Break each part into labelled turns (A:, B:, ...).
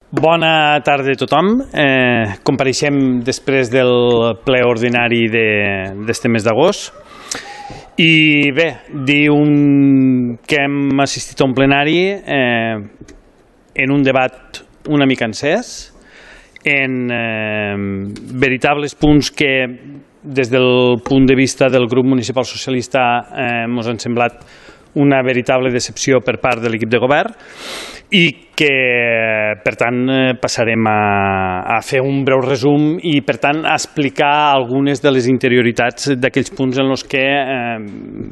A: Bona tarda a tothom. Compareixem després del ple ordinari d'este mes d'agost. I bé, dir que hem assistit a un plenari en un debat una mica encès, en veritables punts que des del punt de vista del grup municipal socialista ens han semblat una veritable decepció per part de l'equip de govern i que, per tant, passarem a fer un breu resum i, per tant, a explicar algunes de les interioritats d'aquells punts en els que,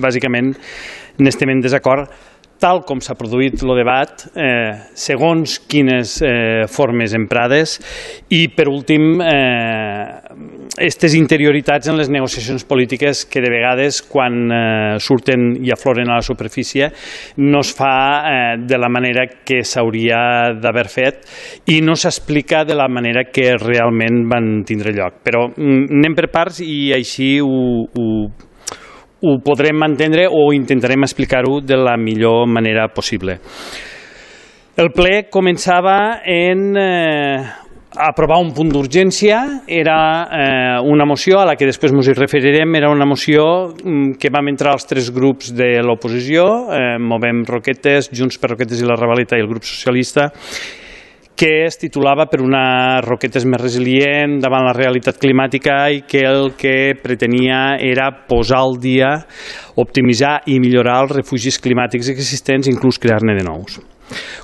A: bàsicament, n'estem en desacord, tal com s'ha produït el debat, segons quines formes emprades i, per últim, aquestes interioritats en les negociacions polítiques que de vegades, quan surten i afloren a la superfície, no es fa de la manera que s'hauria d'haver fet i no s'explica de la manera que realment van tindre lloc. Però anem per parts i així ho podrem entendre o intentarem explicar-ho de la millor manera possible. El ple començava en aprovar un punt d'urgència, era una moció a la que després ens hi referirem, era una moció que vam entrar els tres grups de l'oposició, Movem Roquetes, Junts per Roquetes i la Ravaleta i el grup socialista, que es titulava per una Roquetes més resilient davant la realitat climàtica i que el que pretenia era posar al dia, optimitzar i millorar els refugis climàtics existents, inclús crear-ne de nous.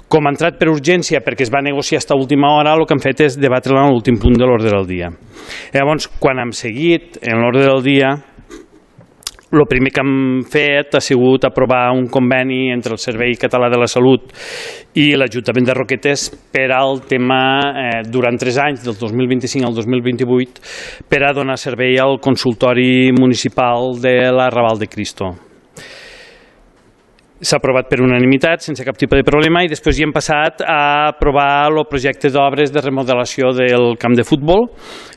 A: Com ha entrat per urgència perquè es va negociar fins a última hora, el que hem fet és debatre-la en l'últim punt de l'ordre del dia. Llavors, quan hem seguit en l'ordre del dia, el primer que hem fet ha sigut aprovar un conveni entre el Servei Català de la Salut i l'Ajuntament de Roquetes per al tema, durant 3 anys, del 2025 al 2028, per a donar servei al consultori municipal de la Raval de Cristo. S'ha aprovat per unanimitat, sense cap tipus de problema, i després hi hem passat a aprovar el projecte d'obres de remodelació del camp de futbol.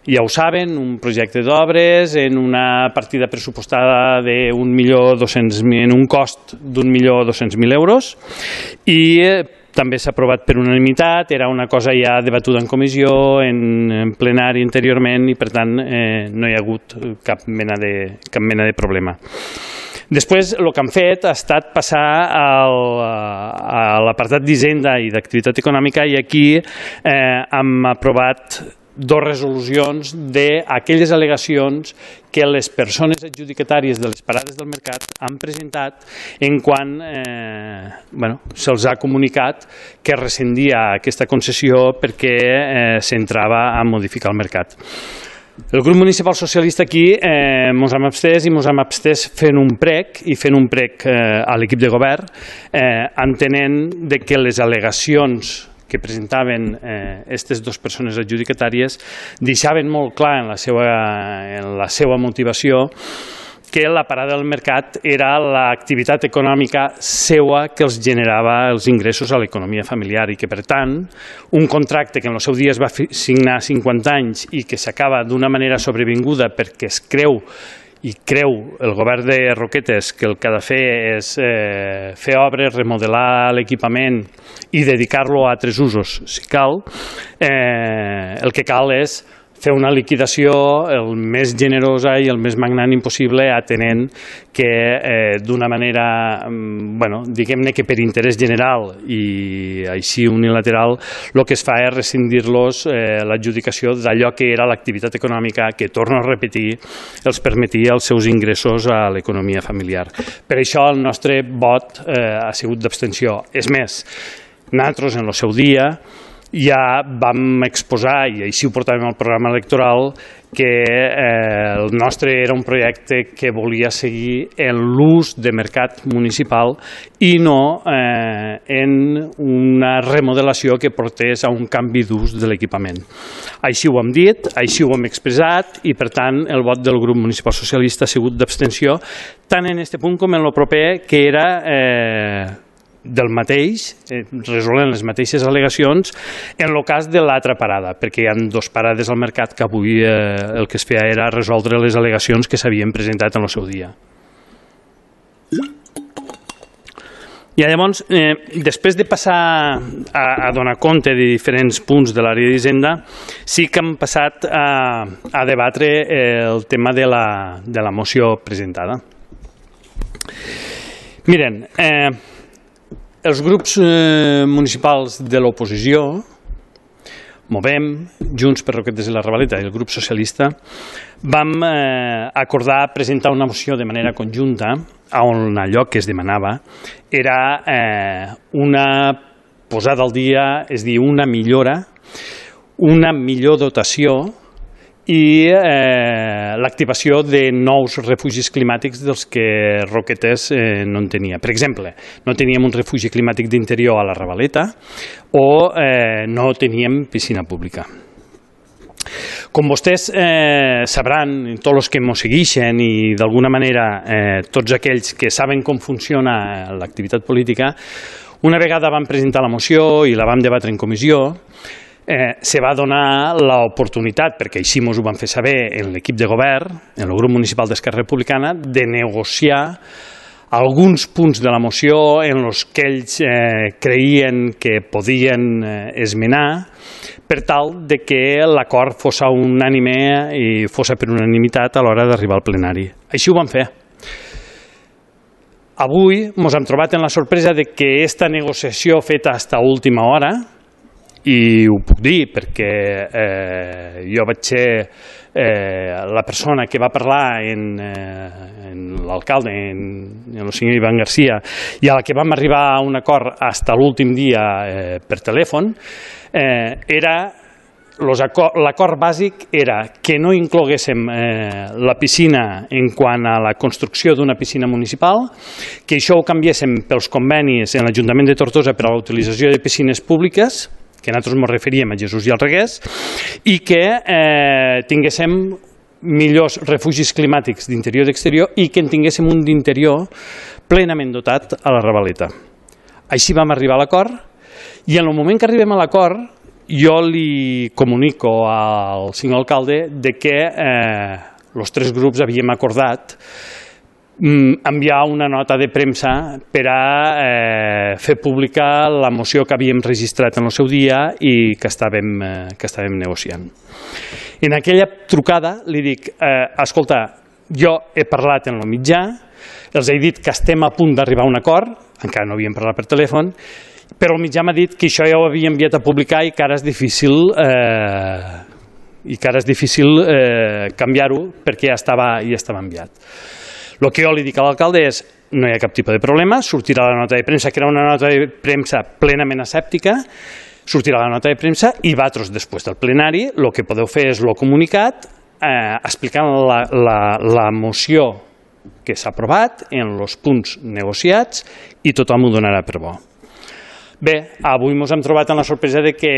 A: Ja ho saben, un projecte d'obres en una partida pressupostada en un cost d'1.200.000 euros i també s'ha aprovat per unanimitat, era una cosa ja debatuda en comissió, en plenari anteriorment i per tant no hi ha hagut cap mena de problema. Després, el que han fet ha estat passar a l'apartat d'Hisenda i d'Activitat Econòmica i aquí hem aprovat 2 resolucions d'aquelles al·legacions que les persones adjudicatàries de les parades del mercat han presentat en quan se'ls ha comunicat que rescindia aquesta concessió perquè s'entrava a modificar el mercat. El grup municipal socialista aquí ens hem abstès i ens hem abstès fent un prec a l'equip de govern entenent que les al·legacions que presentaven aquestes 2 persones adjudicatàries deixaven molt clar en la seva motivació que la parada del mercat era l'activitat econòmica seua que els generava els ingressos a l'economia familiar i que, per tant, un contracte que en el seu dia es va signar 50 anys i que s'acaba d'una manera sobrevinguda perquè es creu el govern de Roquetes que el que ha de fer és fer obres, remodelar l'equipament i dedicar-lo a altres usos, si cal, el que cal és fer una liquidació el més generosa i el més magnànim possible atenent que d'una manera, diguem-ne que per interès general i així unilateral, el que es fa és rescindir-los l'adjudicació d'allò que era l'activitat econòmica que, torno a repetir, els permetia els seus ingressos a l'economia familiar. Per això el nostre vot ha sigut d'abstenció. És més, nosaltres en el seu dia ja vam exposar, i així ho portàvem al programa electoral, que el nostre era un projecte que volia seguir en l'ús de mercat municipal i no en una remodelació que portés a un canvi d'ús de l'equipament. Així ho hem dit, així ho hem expressat i, per tant, el vot del grup municipal socialista ha sigut d'abstenció, tant en aquest punt com en el proper, que era del mateix, resolent les mateixes al·legacions en el cas de l'altra parada, perquè hi ha 2 parades al mercat que avui el que es feia era resoldre les al·legacions que s'havien presentat en el seu dia. I llavors, després de passar a donar compte de diferents punts de l'àrea d'Hisenda, sí que hem passat a debatre el tema de la moció presentada. Miren, els grups municipals de l'oposició, Movem, Junts per Roquetes i la Ravaleta i el grup socialista, vam acordar presentar una moció de manera conjunta on allò que es demanava era una posada al dia, és a dir, una millora, una millor dotació i l'activació de nous refugis climàtics dels que Roquetes no en tenia. Per exemple, no teníem un refugi climàtic d'interior a la Ravaleta o no teníem piscina pública. Com vostès sabran, tots els que ens segueixen i d'alguna manera tots aquells que saben com funciona l'activitat política, una vegada vam presentar la moció i la vam debatre en comissió, se va donar l'oportunitat, perquè així ens ho van fer saber en l'equip de govern, en el grup municipal d'Esquerra Republicana, de negociar alguns punts de la moció en els que ells creien que podien esmenar per tal de que l'acord fos unànime i fos per unanimitat a l'hora d'arribar al plenari. Així ho vam fer. Avui ens hem trobat en la sorpresa de que aquesta negociació feta fins a última hora, i ho puc dir perquè jo vaig ser la persona que va parlar en l'alcalde, en el senyor Ivan García, i a la que vam arribar a un acord fins a l'últim dia per telèfon, l'acord bàsic era que no incloguéssim la piscina en quant a la construcció d'una piscina municipal, que això ho canviéssim pels convenis en l'Ajuntament de Tortosa per a la utilització de piscines públiques, que nosaltres ens referíem a Jesús i al Reguers, i que tinguéssim millors refugis climàtics d'interior i d'exterior i que en tinguéssim un d'interior plenament dotat a la Ravaleta. Així vam arribar a l'acord i en el moment que arribem a l'acord jo li comunico al senyor alcalde de que els tres grups havíem acordat enviar una nota de premsa per a fer pública la moció que havíem registrat en el seu dia i que estàvem negociant. En aquella trucada li dic, escolta, jo he parlat en el mitjà, els he dit que estem a punt d'arribar a un acord, encara no havíem parlat per telèfon, però el mitjà m'ha dit que això ja ho havia enviat a publicar i que ara és difícil canviar-ho perquè ja estava enviat. El que jo li dic a l'alcalde és no hi ha cap tipus de problema, sortirà la nota de premsa, que era una nota de premsa plenament asèptica, sortirà la nota de premsa i vosaltres, després del plenari, el que podeu fer és el comunicat explicant la moció que s'ha aprovat en els punts negociats i tothom ho donarà per bo. Bé, avui ens hem trobat amb la sorpresa de que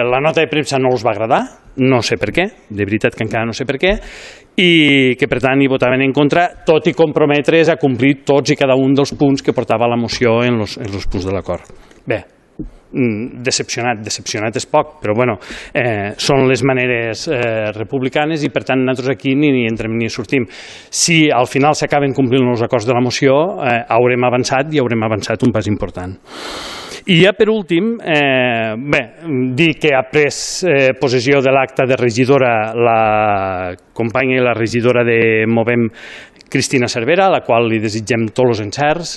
A: la nota de premsa no els va agradar, no sé per què, de veritat que encara no sé per què, i que per tant hi votaven en contra, tot i comprometre's a complir tots i cada un dels punts que portava la moció en els punts de l'acord. Bé, decepcionat és poc, però bueno, són les maneres republicanes i per tant nosaltres aquí ni entrem ni sortim. Si al final s'acaben complint els acords de la moció, haurem avançat i haurem avançat un pas important. I ja per últim, dir que ha pres possessió de l'acta de regidora la companya i la regidora de Movem, Cristina Cervera, a la qual li desitgem tots els encerts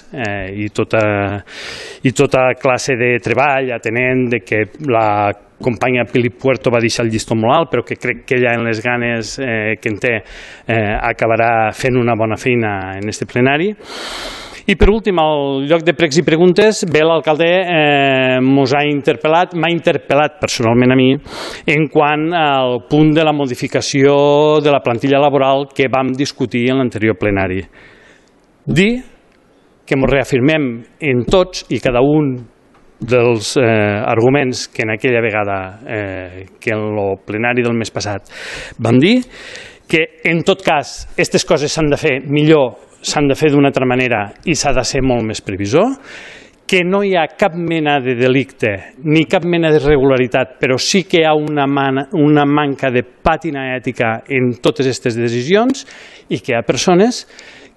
A: i tota classe de treball, atenent de que la companya Pili Puerto va deixar el llistó molt alt, però que crec que ella, en les ganes que en té, acabarà fent una bona feina en aquest plenari. I per últim, al lloc de pregs i preguntes, bé, l'alcalde m'ha interpel·lat personalment a mi en quant al punt de la modificació de la plantilla laboral que vam discutir en l'anterior plenari. Dir que ens reafirmem en tots i cada un dels arguments que en aquella vegada, que en el plenari del mes passat vam dir, que en tot cas aquestes coses s'han de fer millor, s'han de fer d'una altra manera i s'ha de ser molt més previsor, que no hi ha cap mena de delicte ni cap mena d'irregularitat, però sí que hi ha una manca de pàtina ètica en totes aquestes decisions i que hi ha persones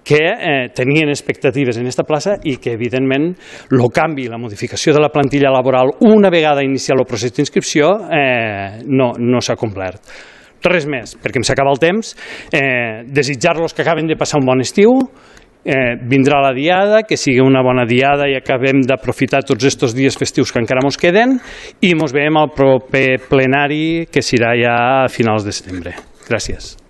A: que tenien expectatives en aquesta plaça i que, evidentment, el canvi, la modificació de la plantilla laboral una vegada iniciat el procés d'inscripció no s'ha complert. Res més, perquè em s'acaba el temps. Desitjar-los que acaben de passar un bon estiu. Vindrà la diada, que sigui una bona diada i acabem d'aprofitar tots aquests dies festius que encara ens queden i ens veiem al proper plenari, que serà ja a finals de setembre. Gràcies.